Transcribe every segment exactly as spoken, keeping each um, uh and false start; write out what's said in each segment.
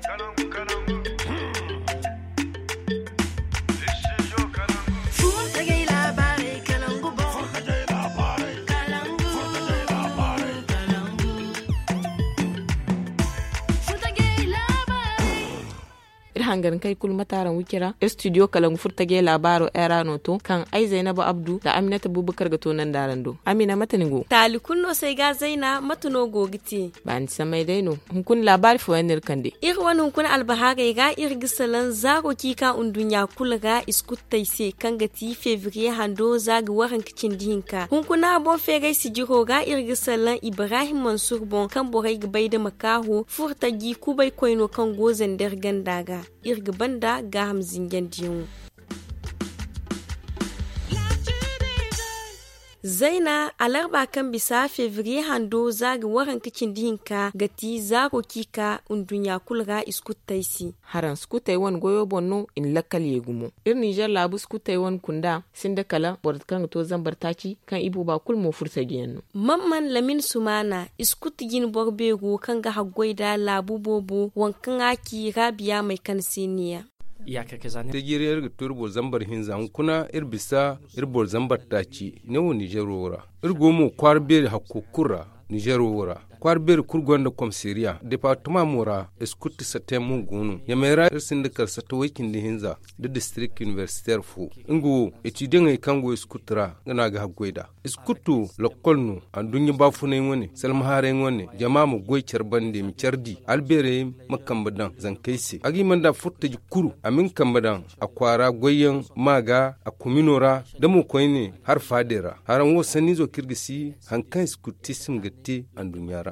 Iri hangar kay kulu mataaraŋ wicira iri studio kalangu furtajey laabaaro era no to kaŋ ay zaynaba abdu nda aminata bubakar ga to nanda araŋ do. Amina mate ni go? Taali kulu no se ay ga zayna mate no go ga te? Baani samay day no. Hunkuna laabaari fooyaŋ no iri kande. Iri wane hunkuna albahaarey ra iri ga salaŋ zaaro ciika nduɲɲa kulu ra iskuttey se kaŋ ga ti febriye hando za ga waranka cindi hinka hunkuna boŋ feeray sijiro ra iri ga salaŋ ibrahim mansur boŋ kaŋ borey ga bay nda makaaho furtaji kubay koyno kaŋ go zander ganda ra. Iri ga banda gaaham zinjandiyaŋo. Zayna alarba kaŋ bisa febriye hando za ga waranka cindi hinka ga ti zaaro ciika nduɲɲa kulu ra iskuttey se. Haraŋ sukutey wane goyo boŋ no i na lakkal ye gumo. Iri ninzeer laabu sukutey wane kunda sinda kala boro kaŋ ga to zambar taaci kaŋ i booba kulu mo furtajiyaŋ no. Mamman lamin sumaana iskutu jine boro beero kaŋ ga haggoy nda laabu boobo waŋ kaŋ a ci raabiya may kaŋ se neeya. Tajiriyaŋ iri ga to iri boro zambar hinza hunkuna iri bisa iri boro zambar taaci ne wo ninzeero ra. Iri go mo kwaara beeri hakko kulu ra ninzeero wo ra. Kwaara beeri kulu gonda komisariya departama mo ra iskutu sateyaŋ mo go no ɲamey ra iri sinda kala sate way cindi hinza nda distirik inibersiteer fo. Nga wo etidiyaŋey kaŋ go iskutu ra nga no a ga haggoy nd'a. Iskutu lakkol no anduɲɲa baafunay wane salmahaaray wane jama ma goy care bande ma care di albeerey ma kambe daŋ zankey se a ga hima nda furtaji kulu a ma nga kambe daŋ a kwaara goyyaŋ ma ga a komino ra da mo koyne har faadey ra haraŋ wo sanniizo kaŋ iri ga si hari kaŋ iskutism ga te anduɲɲa ra.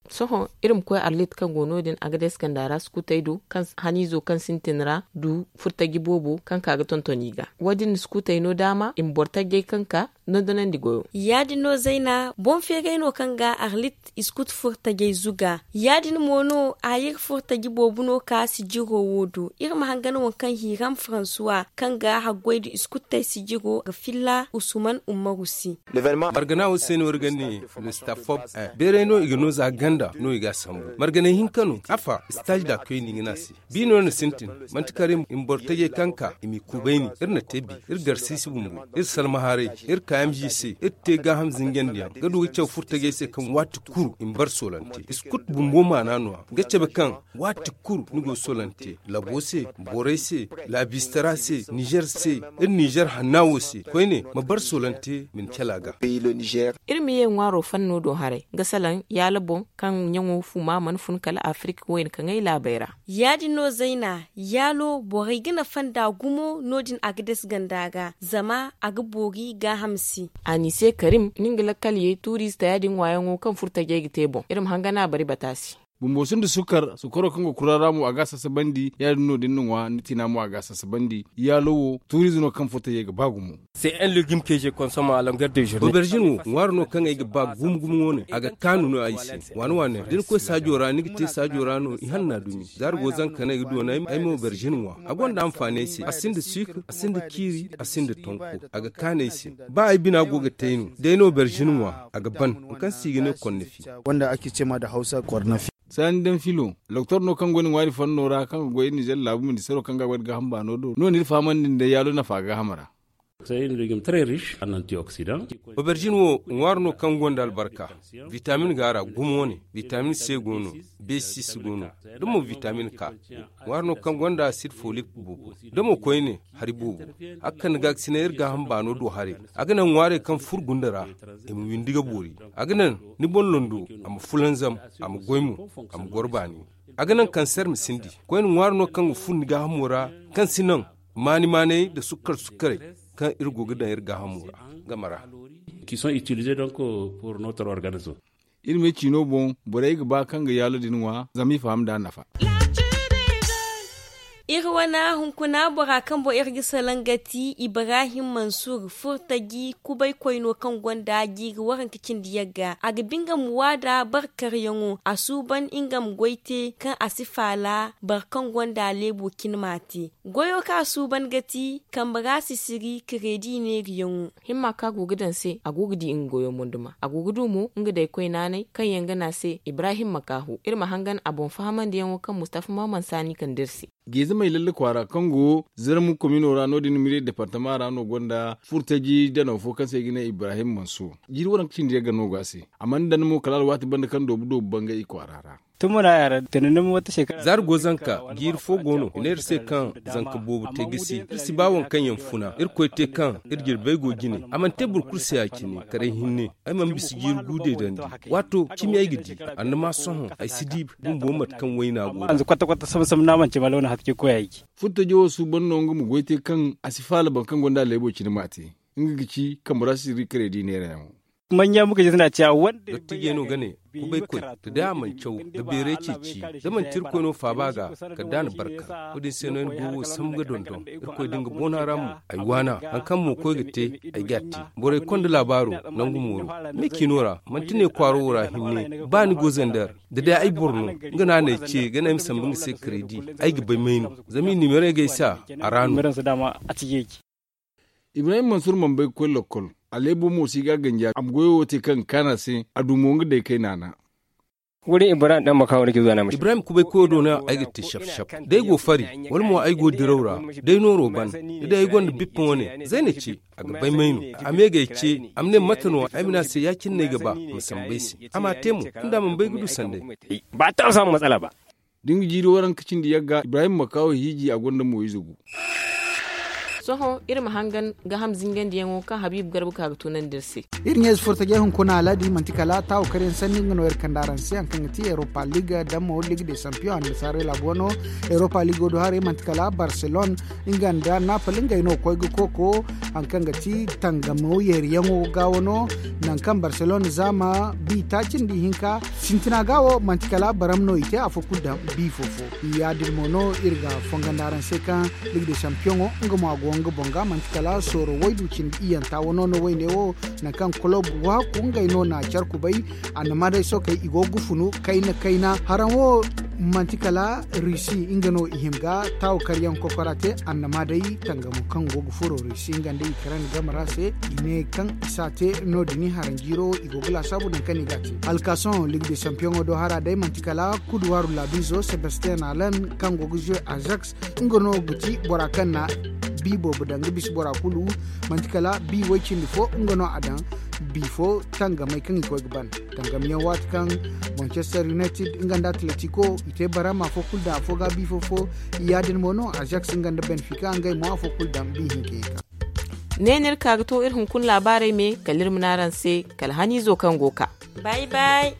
Sohõ iri ma koy arlit kaŋ go no-din agades ganda ra sukutey do kaŋ haniizo kaŋ sintin ra du furtaji boobo kaŋ ka ga tonton i ga wo-din na sukutey no daama i ma boro tajjey kaŋ ka dondonandi goyo. Ya-din no zayna boŋ feeray no kaŋ ga arlit iskut furtajey zuga. Ya-din mo no a iri furtaji boobo no ka sijiro wo do iri ma hangan waŋ kaŋ hiram faransuwa kaŋ ga haggoy nda iskutey sijiro ga filla usuman ummaru se. Margana wo se no iri ga ne lestafob. Beeray no i ga no za ganda no i ga a sambu marganay hinka no afa sitaaz da koy no i ga ne a se. Bi no iri na sintin manti kala i ma boro tajey kaŋ ka i m'i kubayni iri na te bi iri garsiisi bumbo iri salmaharay iri ka m g c iri te gaaham zinjandiyaŋ ga du ga caw furtajey se kaŋ waati kulu i ma bar soolante iskut bumbo maana no-ya ga cabe kaŋ waati kulu ni go soolante labo se borey se laabistara se nizer se iri nizer hanna wo se koyne ma bar soolante ma ni cala ga. Iri ma ye ŋwaaro fanno do haray ga salaŋ yaala boŋ kaŋ ɲaŋo fuma mana fun kala afirik wayna kaŋ ay laabey ra. Ya-din no zayna yaalo borey ga nafa nd'a gumo no-din a ga dase ganda ga zama a ga boori gaaham se. A n'i se karim ni nga lakkal ye tuuriize taya din ŋwaayaŋo kaŋ furtajey ga te boŋ iri ma hangan a bari bata se. Bumbo sinda sukar sukaro kaŋ go kura ra mo a ga a sasabandi ya-din no da ni na ŋwa ni tiina mo a ga a sasabandi. Yaalo wo tuuriize no kaŋ furtajey ga ba gumo. Oberzin wo ŋwaaro no kaŋ ay ga ba gumo gumo wane a ga kaanu no ay se. Waani waani da ni koy saajo ra ni ga te saajo ra no i hanna dumi za ari go zanka no ay ga doona ay ma oberzin ŋwa a gonda anfaani ay se a sinda suukar a sinda ciiri a sinda tonko. A ga kaanu ay se ba ay bina go ga te ay no da ay na oberzin ŋwa a ga ban. Waŋ kaŋ se i ga ne kornafi. Saani daŋ filo doktor no kaŋ go ni ŋwaari fanno ra kaŋ ga goy iri nizer laabu ministeero kaŋ ga a goy nda gaaham baano do no no iri fahamandi nda yaalo nafa gaaham ra. Oberzin wo ŋwaari no kaŋ gonda albarka. Vitamin go a ra gumo wane vitamin c go no, b sis go no, da mo vitamin k. Ŋwaari no kaŋ gonda asid folik boobo da mo koyne hari boobo. A ga kande ga ga sinay iri gaaham baano do haray. A ga naŋ ŋwaarey kaŋ furo gunda ra i ma windi ga boori. A ga naŋ ni boŋ londo a ma fulanzam a ma goy mo a ma goro baani. A ga naŋ kanser ma sindi. Koyne ŋwaari no kaŋ ga fun ni gaahamo ra kaŋ si naŋ maani maanay nda sukkar sukkaray kaŋ iri go ga daŋ iri gaahamo ra game ra. Qui sont utilisés donc pour notre organisme. Iri me ciino boŋ borey ga ba kaŋ ga yaalo din ŋwa zama i faham nd'a nafa. Iri wane hunkuna bora kaŋ boŋ iri ga salaŋ ga ti ibrahim mansur furtaji kubaykoy no kaŋ gonda jiiri waranka cindi yagga a ga ba nga ma waada barkaryaŋo a suuban nga ma goy te kaŋ a si faala boro kaŋ gonda leebo cine m'a te. Goyo kaŋ a suuban ga ti kambe ra sisiri kireedi neeriyaŋo. Himma kaŋ a go ga daŋ se a go ga di nga goyo moyduma a go ga du mo nga day koy naanay kaŋ yaŋ ga ne a se ibrahim makaahu iri ma hangan a boŋ fahamandiyaŋo kaŋ mustafa maman saani kande iri se. Geezamey lalle kwaara kaŋ go zarmu komino ra no- din mire departama ra no gonda furtaji danaw fo kaŋ se i ga ne ibrahim mansur. Jiiri waranka cindi yagga no go a se. A mana daŋ mo kala alwaati banda kaŋ doobu doobu bangay i kwaara ra. Zaari go zanka jiiri fo go no i ne iri se kaŋ zanka boobo te gisi iri si ba waŋ kaŋ yaŋ funa irkoy te kaŋ iri jirbey go jine. A mana te boro kulu se ya- cine karay hinne. Ay mana bisa jiiri gu deedandi waato cimi ay ga di. Annama sohõ ay si di bumbo mate kaŋ wayna go. Furtajo wo suuban no nga ma goy te kaŋ a si faala boro kaŋ gonda leebo cine m'a te. Nga ga ci kambe ra sisiri kareedi neerayaŋo. Manya muka jisna ciya wanda. Dottijey no ga ne kubaykoy da day a mana caw ga beeray ceeci da manti irkoy no faaba ga kala da a na barka. Wo- din se no ay na go wo sambu ga dondon irkoy da nga boona ra mo. Ay waana hari kaŋ mo koy ga te ay g'a te. Borey konda laabaaro nangu mooro me ciino ra manti ne kwaaro wo ra hinne ba ni go zander da day ay boro no. Nga no a na ay ce ga ne ay ma sambu nga se kareedi ay ga bay may no. Zama i nimerey ga ay se a ra no. Ibrahim mansur mana bay ga koy lokkol. A leebo mo si ga a ganji a ma goyo wo te kaŋ ga kaanu a se a du mo nga day kay naana. Ibrahim kubay koyo do no ay ga te shap shap da ay go fari wala mo ay go diraw ra da ay nooro ban da day ay gonda bippa wane zayna ce. A ga bay may no a me ga ay ce a ma ne mate no ay ma ne a se ya- cine no ay ga ba ma sambu ay se. A m'a te mo tunda a mana bay ga du sanday. Ba taŋ sambu matsala ba. Da nga jiiri waranka cindi yagga ibrahim makawo hiiji a gonda mo ize gu. Sohõ iri ma hangan ga ham zingandiyaŋo kaŋ habiibu garba ka ga tunandi iri se. Iri ɲeezi furtajey hunkuna aladi manti kala taawo karyaŋ sanni nga no iri kande araŋ se hari kaŋ ga ti europa liga damo liga de sampiyoŋ annasaarey laabo no. Europa ligo do haray manti kala barcelone nga nda napoli ngey no koy ga kooko hari kaŋ ga ti tangamo yeeriyaŋo ga wano. Nangu kaŋ barcelone zaama bi taaci nda ihinka sintina ga wo manti kala baram no i te afo kulu daŋ bi fofo. Ya- din mo no iri ga fongandi araŋ se kaŋ ligue de champion nga mo a go nga boŋ ga manti kala sooro waydu cindi iyanta wano no wayne wo. Nangu kaŋ kulob waaku ngey no na care kubay. Annama day sookey i go ga funu kayna kayna haraŋ wo manti kala rusi nga no i hima ga taawo karyaŋ kokora te annama day tangamo kaŋ go ga furo rusi nga nda ukraine game ra se i ne kaŋ i s'a te no- din i haraŋ jiiro i go ga laasaabu nangu kaŋ i ga a te. Alkason ligue de champion do hara day manti kala kuduwaaru laabiizo sebastien alan kaŋ go ga jouer ajax nga no ga ti bora kaŋ na bi boobo daŋ ga bisa bora kulu. Manti kala bi way cindi fo nga no a daŋ bi fo tangamey kaŋ i koy ga ban. Tangamyaŋ waati kaŋ manchester united nga nda atletico i te barama afo kulu daŋ afo ga bi fo fo. Ya- din mo no ajax nga nda benfica ngey mo afo kulu daŋ bi hinka hinka. Ne no iri ka ga to iri hunkuna laabaarey me kala iri ma ne araŋ se kala haniizo kaŋ go ga ka. Bay bay.